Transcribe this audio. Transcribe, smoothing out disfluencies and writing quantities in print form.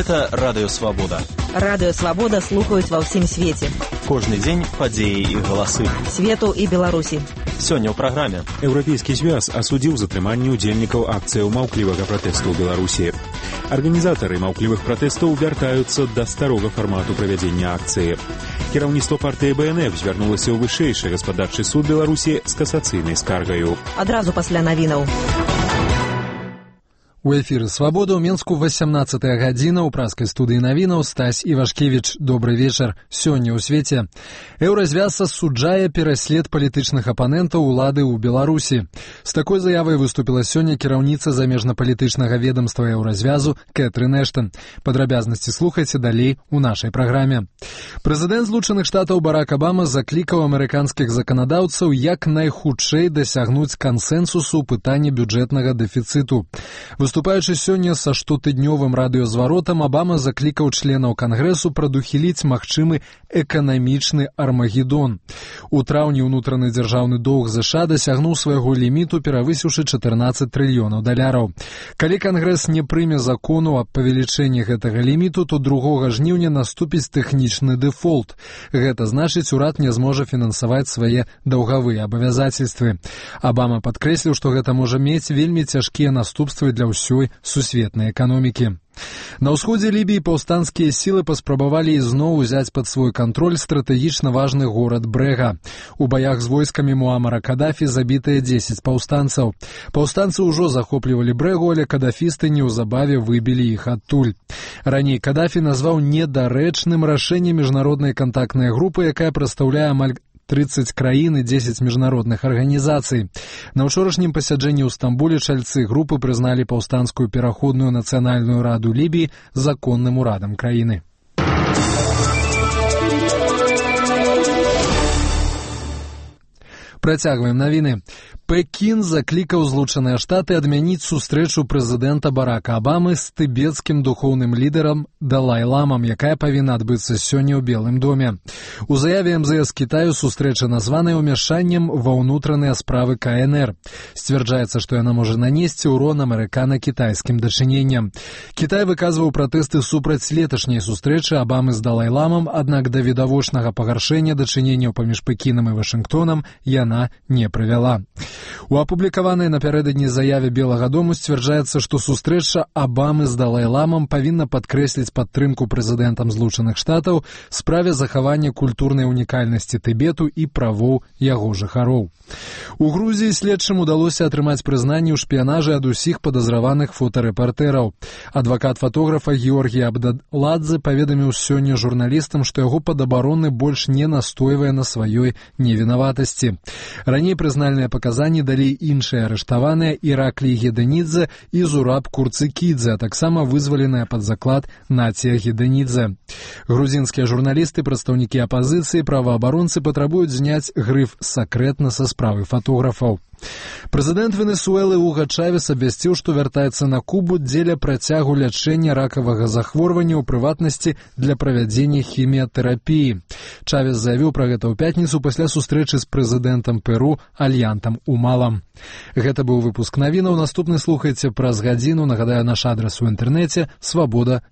Гэта Радыё Свабода. Радыё Свабода слухаюць ва ўсім свеце. Кожны дзень падзеі і галасы Свету і Беларусі. Сёння ў праграме. Еўрапейскі звяз асудзіў затрыманне ўдзельнікаў акцыяў маўклівага пратэсту ў Беларусі. Арганізатары маўклівых пратэстаў вяртаюцца да старога фармату правядзення акцыі. Кіраўніцтва партыі БНФ звярнулася ў вышэйшы гаспадарчы суд Беларусі з касацыйнай скаргаю. Адразу пасля навінаў. У эфіры «Свабода» ў Менску 18-я гадзіна ў праскай студыі навінаў Стась Івашкевіч. Добры вечар. Сёння ў свеце. Еўразвяз асуджае пераслед палітычных апанентаў улады ў Беларусі. З такой заявай выступіла сёння кіраўніца замежнапалітычнага ведамства Еўразвязу Кэтрын Эштон. Падрабязнасці слухайце далей у нашай праграме. Прэзідэнт Злучаных Штатаў Барак Абама заклікаў амерыканскіх заканадаўцаў як найхутчэй дасягнуць кансэнсусу ў пытанні бюджэтнага дэфіцыту. Выступаючы сёння са штотыднёвым радыёзваротам, Абама заклікаў членаў Кангрэсу прадухіліць магчымы эканамічны армагеддон. У траўні ўнутраны дзяржаўны доўг ЗША дасягнуў свайго ліміту, перавысіўшы 14 трыльёнаў даляраў. Калі Кангрэс не прыме закону аб павелічэнні гэтага ліміту, то 2 жніўня наступіць тэхнічны дэфолт. Гэта значыць, урад не зможа фінансаваць свае даўгавыя абавязацельствы. Абама падкрэсліў, што гэта можа мець вельмі цяжкія наступствы для ўсёй сусветнай эканомікі. На ўсходзе Лібіі паўстанцкія сілы паспрабавалі ізноў узяць пад свой кантроль стратэгічна важны горад Брэга. У баях з войскамі Муамара Кадафі забітыя 10 паўстанцаў. Паўстанцы ўжо захоплівалі Брэгу, але кадафісты неўзабаве выбілі іх адтуль. Раней Кадафі назваў недарэчным рашэнне міжнароднай кантактнай групы, якая прадстаўляе амаль 30 краін і 10 міжнародных арганізацый. На ўчорашнім пасяджэнні ў Стамбуле чальцы групы прызналі паўстанцкую пераходную нацыянальную раду Лібіі законным урадам краіны. Працягваем навіны. Пекін заклікаў Злучаныя Штаты адмяніць сустрэчу прэзідэнта Барака Абамы з тыбецкім духоўным лідарам Далай-ламам, якая павінна адбыцца сёння ў Белым доме. У заяве МЗС Кітаю сустрэча названая ўмяшаннем ва ўнутраныя справы КНР. Сцвярджаецца, што яна можа нанесці ўрон амерыкана-кітайскім дачыненням. Кітай выказваў пратэсты супраць леташняй сустрэчы Абамы з Далай-ламам, аднак да відавочнага пагаршэння дачыненняў паміж Пекінам і Вашынгтонам яна не прывяла. У апублікаванай напярэдадні заяве Белага дому сцвярджаецца, што сустрэча Абамы з Далай-ламам павінна падкрэсліць падтрымку прэзідэнтам Злучаных Штатаў справе захавання культурнай унікальнасці Тыбету і правоў яго жыхароў. У Грузіі следчым удалося атрымаць прызнанне ў шпіянажы ад усіх падазраваных фотарэпартэраў. Адвакат фотографа Георгій Абдаладзе паведаміў сёння журналістам, што яго падабароны больш не настойвае на сваёй невінаватасці. Раней прызнальныя паказанні далі іншыя арыштаваныя Іраклій Гедэнідзе і Зураб Курцыкідзе, а таксама вызваленая пад заклад Нація Гедэнідзе. Грузінскія журналісты, прадстаўнікі апазіцыі, праваабаронцы патрабуюць зняць грыф «сакрэтна» са справы фотографаў. Прэзідэнт Венесуэлы Уга Чавес абвясціў, што вяртаецца на Кубу дзеля працягу лячэння ракавага захворвання, у прыватнасці для правядзення хіміятэрапіі. Чавес заявіў пра гэта ў пятніцу пасля сустрэчы з прэзідэнтам Перу Альянтам Умалам. Гэта быў выпуск навінаў. Наступны слухайце праз гадзіну. Нагадаю, наш адрас у інтэрнэце свабода.орг.